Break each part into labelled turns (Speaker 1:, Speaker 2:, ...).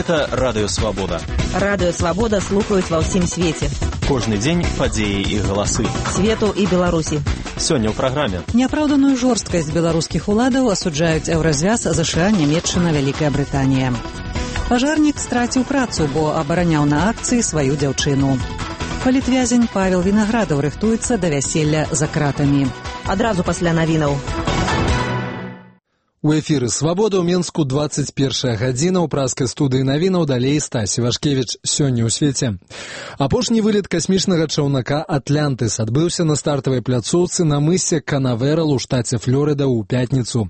Speaker 1: Гэта Радыё Свабода.
Speaker 2: Радыё Свабода слухаюць ва ўсім свеце.
Speaker 1: Кожны дзень падзеі і галасы.
Speaker 2: Свету і Беларусі.
Speaker 1: Сёння ў праграме.
Speaker 3: Няпраўданую жорсткасць беларускіх уладаў асуджаюць Еўразвяз, ЗША, Нямецчына, Вялікая Брытанія. Пажарнік страціў працу, бо абараняў на акцыі сваю дзяўчыну. Палітвязень Павел Вінаградаў рыхтуецца да вяселля за кратамі.
Speaker 2: Адразу пасля навінаў.
Speaker 4: У эфіры «Свабода» ў Менску 21 гадзіна, ў праскай студыі навінаў далей Стасі Вашкевіч. Сёння ў свеце. Апошні вылет касмічнага чаўнака «Атлантыс» адбыўся на стартавай пляцоўцы на мысе Канаверал у штаце Флорыда ў пятніцу.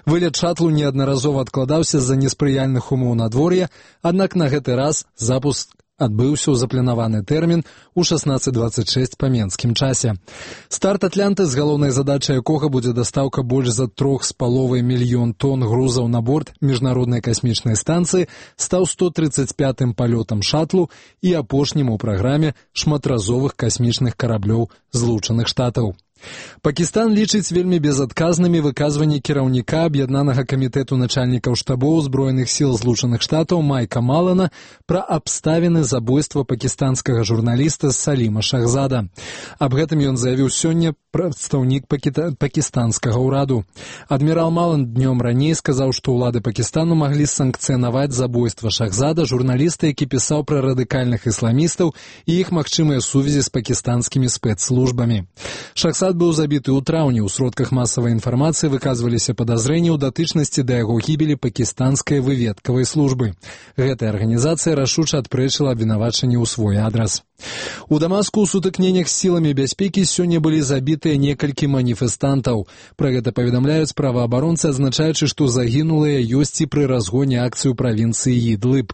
Speaker 4: Вылет шатлу неаднаразова адкладаўся з-за неспрыяльных умоў надвор'я, аднак на гэты раз запуск адбыўся ў запланаваны тэрмін у 16:26 па менскім часе. Старт «Атлантыс», галоўнай задачай якога будзе дастаўка больш за 3,5 мільён тонн грузаў на борт міжнароднай касмічнай станцыі, стаў 135-м палётам шатлу і апошнім у праграме шматразовых касмічных караблёў Злучаных Штатаў. Пакістан лічыць вельмі безадказнымі выказванні кіраўніка аб'яднанага камітэту начальнікаў штабоў Збройных сіл Злучаных Штатаў Майка Малана пра абставіны забойства пакістанскага журналіста Саліма Шахзада. Аб гэтым ён заявіў сёння прадстаўнік пакістанскага ўраду. Адмірал Малан днём раней сказаў, што ўлады Пакістану маглі санкцыянаваць забойства Шахзада, журналіста, які пісаў пра радыкальных ісламістаў і іх магчымыя сувязі з пакістанскімі спецслужбамі. Шахзад быў забіты ў траўні. У сродках масавай інфармацыі выказваліся падазрэнні ў датычнасці да яго гібелі пакістанскай выведкавай службы. Гэтая арганізацыя рашуча адпрэчыла абвінавачанні ў свой адрас. У Дамаску ў сутыкненнях з сіламі бяспекі сёння былі забітыя некалькі маніфестантаў. Пра гэта паведамляюць праваабаронцы, адзначаючы, што загінулыя ёсць і пры разгоне акцыі ў правінцыі Ідлыб.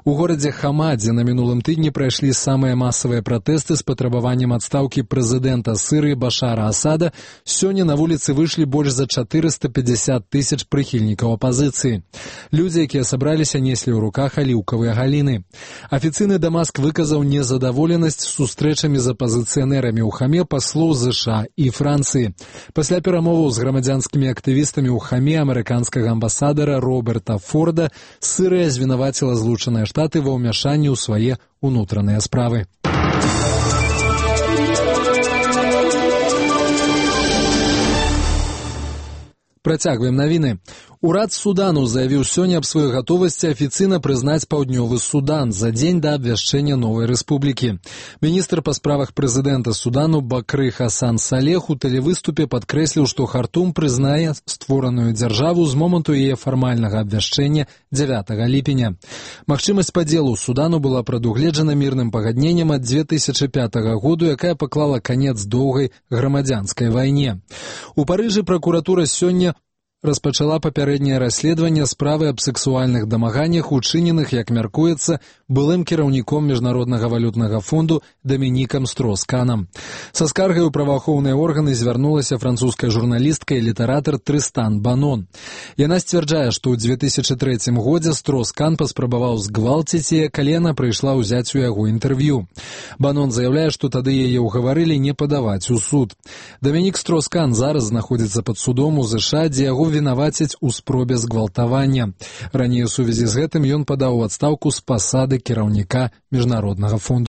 Speaker 4: У горадзе Хама, дзе на мінулым тыдні прайшлі самыя масавыя пратэсты з патрабаваннем адстаўкі прэзідэнта Сырыі Башара Асада, сёння на вуліцы выйшлі больш за 450 тысяч прыхільнікаў апазіцыі. Людзі, якія сабраліся, неслі ў руках аліўкавыя галіны. Афіцыйны Дамаск выказаў незадаволенасць сустрэчамі з апазіцыянэрамі ў Хаме паслоў ЗША і Францыі. Пасля перамоваў з грамадзянскімі актывістамі ў Хаме амерыканскага амбасадара Роберта Форда Сырыя звінаваціла Злучаныя Штаты ва ўмяшанні ў свае ўнутраныя справы. Працягваем навіны. Урад Судану заявіў сёння аб сваёй гатовасці афіцыйна прызнаць Паўднёвы Судан за дзень да абвяшчэння новай рэспублікі. Міністр па справах прэзідэнта Судану Бакры Хасан Салех у тэлевыступе падкрэсліў, што Хартум прызнае створаную дзяржаву з моманту яе фармальнага абвяшчэння 9 ліпеня. Магчымасць падзелу Судану была прадугледжана мірным пагадненнем ад 2005 году, якая паклала канец доўгай грамадзянскай вайне. У Парыжы пракуратура сёння распачала папярэдняе расследаванне справы аб сексуальных дамаганнях, учыненых, як мяркуецца, былым кіраўніком Міжнароднага валютнага фонду Дамінікам Стросканам. Са скаргай у праваахоўныя органы звярнулася французская журналістка і літаратар Трыстан Банон. Яна сцвярджае, што ў 2003 годзе Строскан паспрабаваў згвалціць яе, калі яна прыйшла ўзяць у яго інтэрв'ю. Банон заяўляе, што тады яе ўгаварылі не падаваць у суд. Дамінік Строскан зараз знаходзіцца пад судом у ЗША, дзе яго вінавацяць у спробе згвалтавання. Раней у сувязі з гэтым ён падаў у адстаўку з пасады кіраўніка Міжнароднага фонду.